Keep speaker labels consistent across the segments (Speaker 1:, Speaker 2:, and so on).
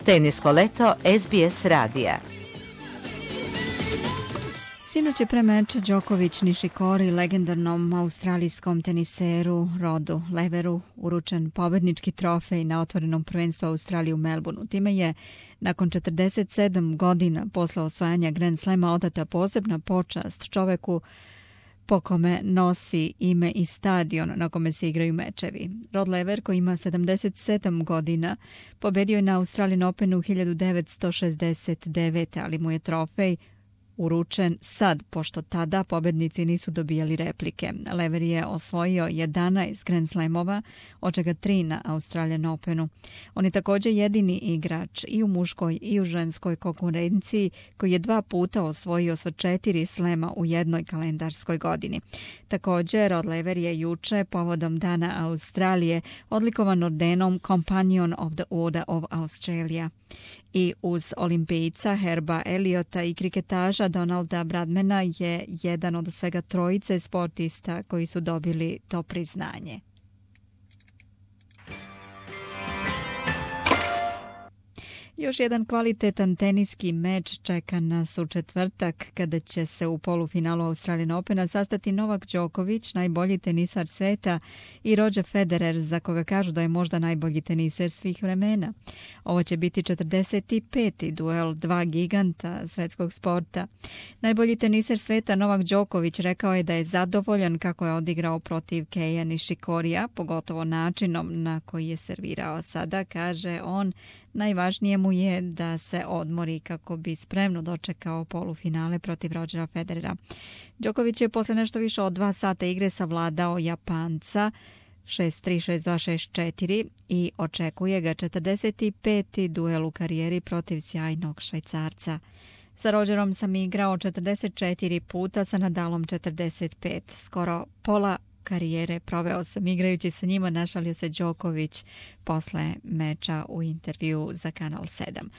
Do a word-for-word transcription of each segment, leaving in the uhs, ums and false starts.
Speaker 1: Tenisko leto S B S radija.
Speaker 2: Sinoć je pre meča Đoković Nišikori legendarnom australijskom teniseru Rodu Leveru uručen pobednički trofej na otvorenom prvenstvu Australije u Melbourneu. Time je nakon četrdeset sedam godina posle osvajanja Grand Slema odata posebna počast čoveku po kome nosi ime i stadion na kome se igraju mečevi. Rod Lever, koji ima sedamdeset sedam godina, pobedio je na Australian Openu hiljadu devetsto šezdeset devete. ali mu je trofej uručen sad, pošto tada pobednici nisu dobijali replike. Lever je osvojio jedanaest Grand Slamova, od čega tri na Australian Openu. On je također jedini igrač i u muškoj i u ženskoj konkurenciji koji je dva puta osvojio sva četiri slema u jednoj kalendarskoj godini. Također, Rod Lever je juče povodom Dana Australije odlikovan ordenom Companion of the Order of Australia. I uz olimpijca Herba Eliota i kriketaža Donalda Bradmana je jedan od svega trojice sportista koji su dobili to priznanje. Još jedan kvalitetan teniski meč čeka nas u četvrtak kada će se u polufinalu Australian Opena sastati Novak Đoković, najbolji tenisar sveta, i Roger Federer, za koga kažu da je možda najbolji teniser svih vremena. Ovo će biti četrdeset peti duel dva giganta svetskog sporta. Najbolji teniser sveta Novak Đoković rekao je da je zadovoljan kako je odigrao protiv Keija Nišikorija, pogotovo načinom na koji je servirao. Sada, kaže on, najvažnije mu je da se odmori kako bi spremno dočekao polufinale protiv Rogera Federera. Đoković je posle nešto više od dva sata igre savladao Japanca šest tri, šest dva, šest četiri i očekuje ga četrdeset peti duel u karijeri protiv sjajnog Švajcarca. Sa Rogerom sam igrao četrdeset četiri puta, sa Nadalom četrdeset pet. Skoro pola karijere proveo sam igrajući sa njima, našalio se Đoković posle meča u intervju za Kanal sedam.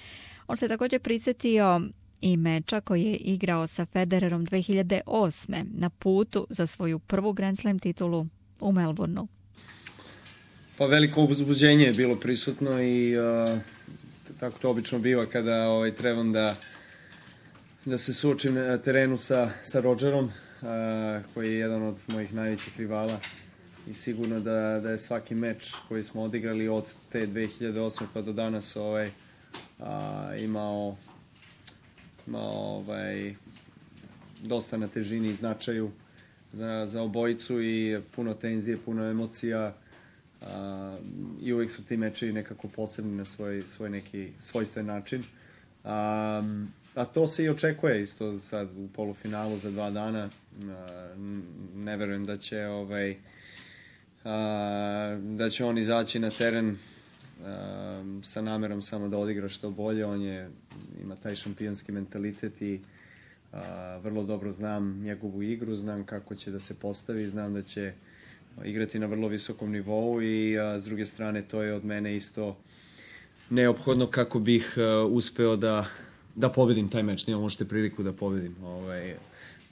Speaker 2: On se također prisjetio i meča koji je igrao sa Federerom dve hiljade osme. na putu za svoju prvu Grand Slam titulu u Melbourneu.
Speaker 3: Pa veliko uzbuđenje je bilo prisutno i uh, tako to obično biva kada ovaj, trebam da, da se suočim na terenu sa, sa Rogerom, Uh, koji je jedan od mojih najvećih rivala i sigurno da, da je svaki meč koji smo odigrali od te dve hiljade osme pa do danas ovaj, uh, imao, imao ovaj, dosta na težini i značaju za, za obojicu i puno tenzije, puno emocija uh, i uvijek su ti mečevi nekako posebni na svoj, svoj neki svojstven način. Um, A to se i očekuje isto sad u polufinalu za dva dana. Ne verujem da će ovaj da će on izaći na teren sa namerom samo da odigra što bolje. On je, ima taj šampionski mentalitet i vrlo dobro znam njegovu igru, znam kako će da se postavi, znam da će igrati na vrlo visokom nivou i s druge strane to je od mene isto neophodno kako bih uspeo da da pobedim taj meč, nemam možete priliku da pobedim. Ovaj,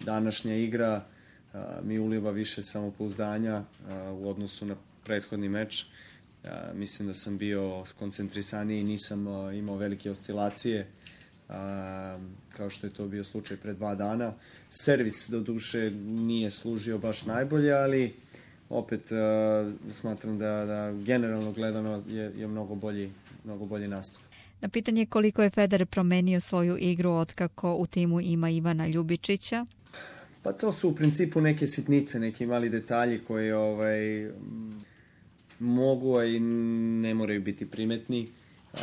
Speaker 3: današnja igra a, mi uliva više samopouzdanja a, u odnosu na prethodni meč. A, mislim da sam bio skoncentrisaniji, nisam a, imao velike oscilacije, a, kao što je to bio slučaj pre dva dana. Servis, do duše, nije služio baš najbolje, ali opet a, smatram da, da generalno gledano je, je mnogo bolji, mnogo bolji nastup.
Speaker 2: Na pitanje koliko je Federer promenio svoju igru otkako u timu ima Ivana Ljubičića?
Speaker 3: Pa to su u principu neke sitnice, neki mali detalji koji ovaj, mogu, a i ne moraju biti primetni.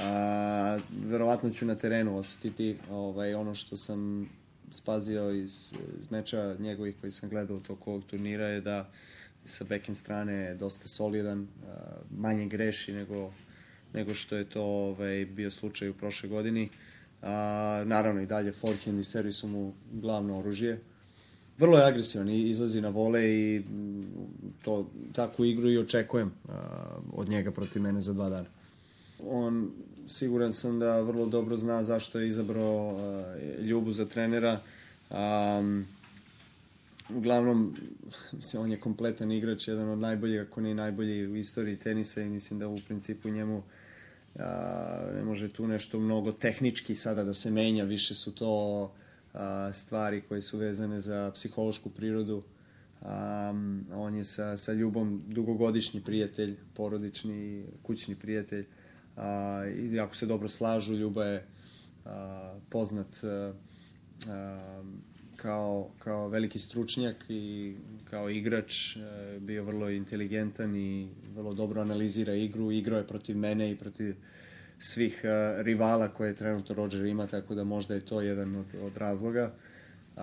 Speaker 3: A, verovatno ću na terenu osetiti ovaj, ono što sam spazio iz, iz meča njegovih koji sam gledao toko ovog turnira je da sa backhand strane je dosta solidan, a, manje greši nego nego što je to ovaj, bio slučaj u prošle godini. A, naravno i dalje forehand i servis su mu glavno oružje. Vrlo je agresivan i izlazi na vole i to, takvu igru i očekujem a, od njega protiv mene za dva dana. On, siguran sam da vrlo dobro zna zašto je izabrao a, Ljubu za trenera. A, uglavnom, mislim, on je kompletan igrač, jedan od najboljih, ako ne najbolji u istoriji tenisa i mislim da u principu njemu a, ne može tu nešto mnogo tehnički sada da se menja, više su to a, stvari koje su vezane za psihološku prirodu. Um, on je sa, sa Ljubom dugogodišnji prijatelj, porodični, kućni prijatelj, uh, i jako se dobro slažu. Ljuba je uh, poznat uh, uh, kao, kao veliki stručnjak i kao igrač, uh, bio vrlo inteligentan i vrlo dobro analizira igru. Igrao je protiv mene i protiv svih uh, rivala koje trenutno Rodger ima, tako da možda je to jedan od, od razloga. Um,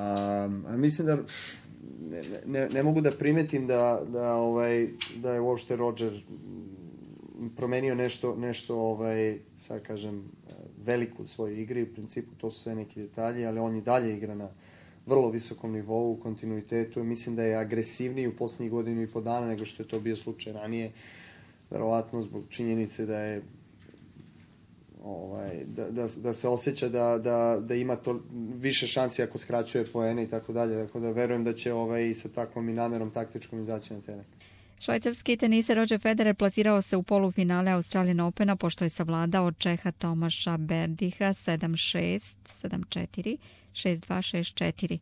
Speaker 3: a mislim da Ne, ne, ne mogu da primetim da, da, ovaj, da je uopšte Rodger promenio nešto, nešto ovaj, sad kažem, veliko u svojoj igri. U principu to su sve neki detalji, ali on i dalje igra na vrlo visokom nivou, u kontinuitetu. Mislim da je agresivniji u poslednjih godinu i po dana nego što je to bio slučaj ranije. Verovatno zbog činjenice da je Ovaj, da, da, da se osjeća da, da, da ima to više šansi ako skraćuje poene i tako dalje. Tako da verujem da će ovaj, sa takvom i namerom taktičkom izaći na teren.
Speaker 2: Švajcarski teniser Roger Federer plasirao se u polufinale Australian Opena pošto je savladao Čeha Tomaša Berdiha sedam šest, sedam četiri, šest dva, šest četiri.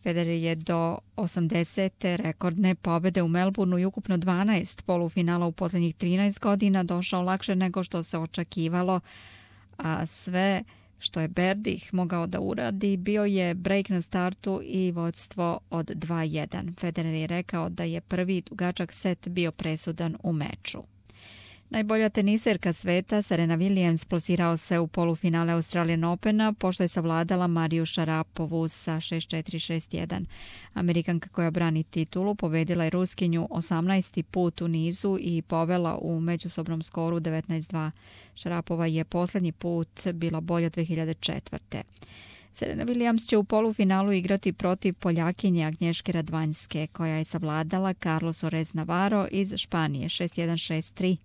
Speaker 2: Federer je do osamdesete rekordne pobede u Melbourneu i ukupno dvanaest polufinala u poslednjih trinaest godina došao lakše nego što se očekivalo, a sve što je Berdih mogao da uradi bio je break na startu i vodstvo od dva jedan. Federer je rekao da je prvi dugačak set bio presudan u meču. Najbolja teniserka sveta Serena Williams plasirao se u polufinale Australian Opena pošto je savladala Mariju Šarapovu sa šest četiri, šest jedan. Amerikanka koja brani titulu pobedila je Ruskinju osamnaesti put u nizu i povela u međusobnom skoru devetnaest dva. Šarapova je poslednji put bila bolja dve hiljade četvrte. Serena Williams će u polufinalu igrati protiv Poljakinje Agnješke Radvanjske, koja je savladala Carlos Orez Navarro iz Španije šest jedan, šest tri.